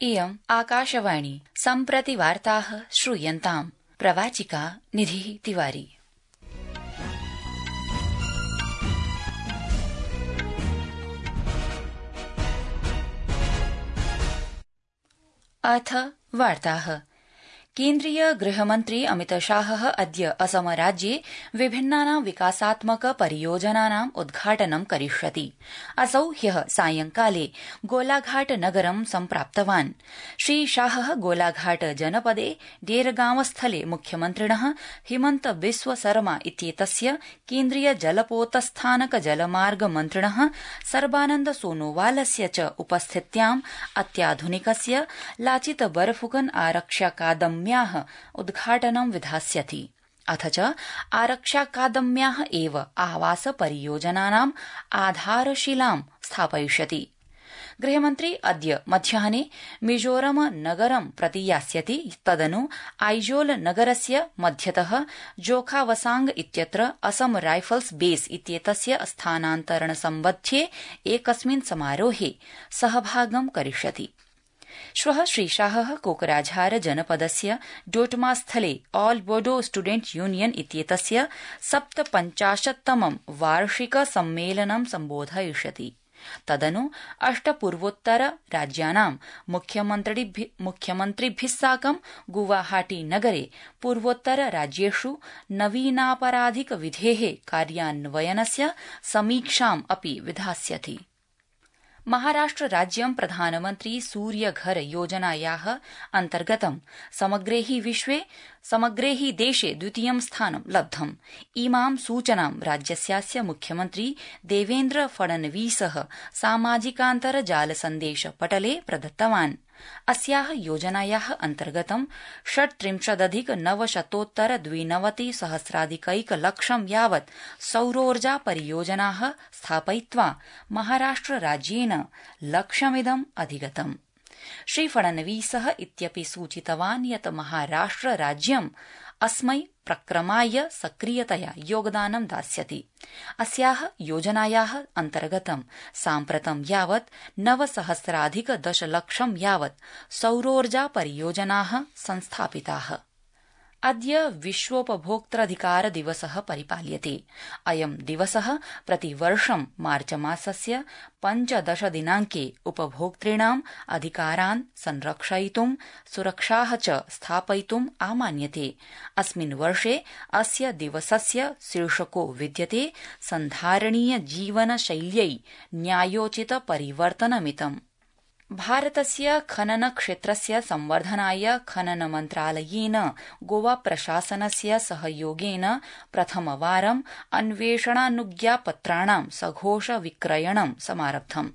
इयम् आकाशवाणी सम्प्रति वार्ताः श्रूयन्ताम्। प्रवाचिका निधिः तिवारी। अथ वार्ताः। केन्द्रीय गृहमन्त्री अमितशाहः अद्य असम राज्ये विभिन्नानां विकासात्मक परियोजनानाम् उद्घाटनं करिष्यति। असौ ह्यः सायंकाले गोलाघाट नगरं सम्प्राप्तवान्। श्रीशाहः गोलाघाट जनपदे डेरगांव-स्थले मुख्यमन्त्रिणः हिमन्त बिस्व सरमा इत्येतस्य केन्द्रीय जलपोतस्थानक जलमार्ग मन्त्रिणः सर्बानन्द सोनोवालस्य च उपस्थित्याम् अत्याधुनिकस्य लाचित बरफुकन आरक्ष्याकादम्याः उद्घाटनं विधास्यति। अथ च आरक्ष्याकादम्याः एव आवास परियोजनानाम् आधारशिलां स्थापयिष्यति। गृहमन्त्री अद्य मध्याह्ने मिजोरम नगरं प्रति यास्यति। तदनु आइजोल नगरस्य मध्यतः जोखावसांग इत्यत्र असम राइफल्स बेस इत्येतस्य स्थानान्तरण सम्बध्ये एकस्मिन् समारोहे सहभागं करिष्यति। श्वः श्रीशाहः कोकराझार जनपदस्य डोटमास्थले ऑल बोडो स्टूडेंट यूनियन इत्येतस्य 57तमं वार्षिक सम्मेलनं सम्बोधयिष्यति। तदनु 8 पूर्वोत्तर राज्यानां मुख्यमन्त्रिभिः साकं गुवाहाटी नगरे पूर्वोत्तर राज्येषु नवीनापराधिक विधेः कार्यान्वयनस्य समीक्षाम् अपि विधास्यति। महाराष्ट्र राज्यं प्रधानमन्त्री सूर्यघर योजनायाः अन्तर्गतं समग्रे हि देशे द्वितीयं स्थानं लब्धम्। इमां सूचनां राज्यस्यास्य मुख्यमन्त्री देवेन्द्र फडणवीसः सामाजिकान्तर्जाल सन्देश पटले प्रदत्तवान्। अस्याः योजनायाः अन्तर्गतं 37,992,सहस्राधिकैकलक्षं यावत् सौरोर्जा परियोजनाः स्थापयित्वा महाराष्ट्र राज्येन लक्ष्यमिदम् अधिगतम्। श्री फडणवीसः इत्यपि सूचितवान् यत् महाराष्ट्र राज्यम् अस्मै प्रक्रमाय सक्रियतया योगदानं दास्यति। अस्याः योजनायाः अन्तर्गतं साम्प्रतं यावत् 9,000,10,00,000 यावत् सौरोर्जा परियोजनाः संस्थापिताः। अद्य विश्वोपभोक्तृधिकार दिवसः परिपाल्यते। अयं दिवसः प्रतिवर्षं मार्चमासस्य 15 दिनाङ्के उपभोक्तॄणाम् अधिकारान् संरक्षयितुं सुरक्षाः च स्थापयितुम् आमान्यते। अस्मिन् वर्षे अस्य दिवसस्य शीर्षको विद्यते सन्धारणीय जीवनशैल्यै न्यायोचित परिवर्तनमितम्। भारतस्य खनन क्षेत्रस्य संवर्धनाय खनन मन्त्रालयेन गोवा प्रशासनस्य सहयोगेन प्रथमवारं अन्वेषणानुज्ञापत्राणां सघोष विक्रयणं समारब्धम्।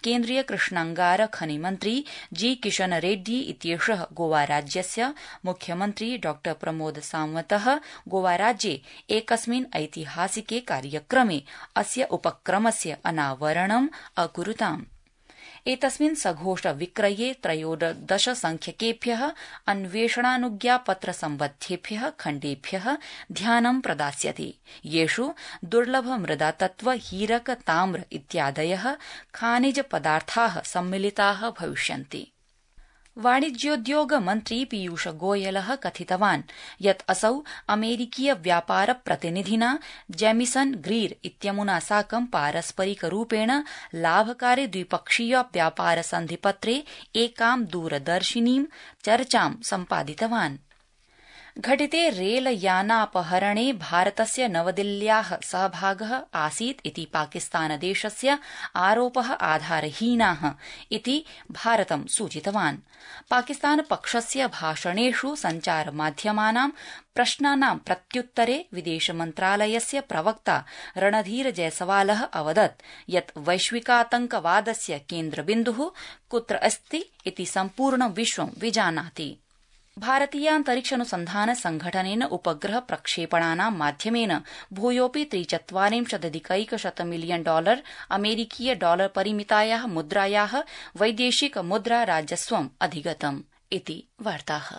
केन्द्रीय कृष्णांगार खनिमन्त्री जी किशन रेड्डी इत्येषः गोवा राज्यस्य मुख्यमन्त्री डॉ प्रमोद सावन्तः गोवा राज्ये एकस्मिन् ऐतिहासिके कार्यक्रमे अस्य उपक्रमस्य अनावरणम् अकुरुताम्। एतस्मिन् सघोष विक्रये 13 संख्यकेभ्यः अन्वेषणानुज्ञापत्र सम्बद्धेभ्यः खण्डेभ्यः ध्यानं प्रदास्यते, येषु दुर्लभ मृदातत्व हीरक ताम्र इत्यादयः खानिज पदार्थाः सम्मिलिताः भविष्यन्ति। वाणिज्योद्योग मन्त्री पीयूष गोयलः कथितवान् यत् असौ अमेरिकीय व्यापार प्रतिनिधिना जेमिसन ग्रीर इत्यमुना साकं पारस्परिकरूपेण लाभकारि द्विपक्षीय व्यापार सन्धिपत्रे एकां दूरदर्शिनीं चर्चां सम्पादितवान्। घटिते रेलयानापहरणे भारतस्य नवदिल्ल्याः सहभागः आसीत् इति पाकिस्तानदेशस्य आरोपः आधारहीनाः इति भारतं सूचितवान्। पाकिस्तानपक्षस्य भाषणेषु सञ्चारमाध्यमानां प्रश्नानां प्रत्युत्तरे विदेशमन्त्रालयस्य प्रवक्ता रणधीर जयसवालः अवदत् यत् वैश्विकातंकवादस्य केन्द्रबिन्दुः कुत्र अस्ति इति सम्पूर्णं विश्वं विजानाति। भारतीयान्तरिक्षानुसन्धान संघटनेन उपग्रह प्रक्षेपणानां माध्यमेन भूयोऽपि 43,100 मिलियन डॉलर अमेरिकीय डॉलर परिमितायाः मुद्रायाः वैदेशिक मुद्रा राजस्वम् अधिगतम् इति वार्ताः।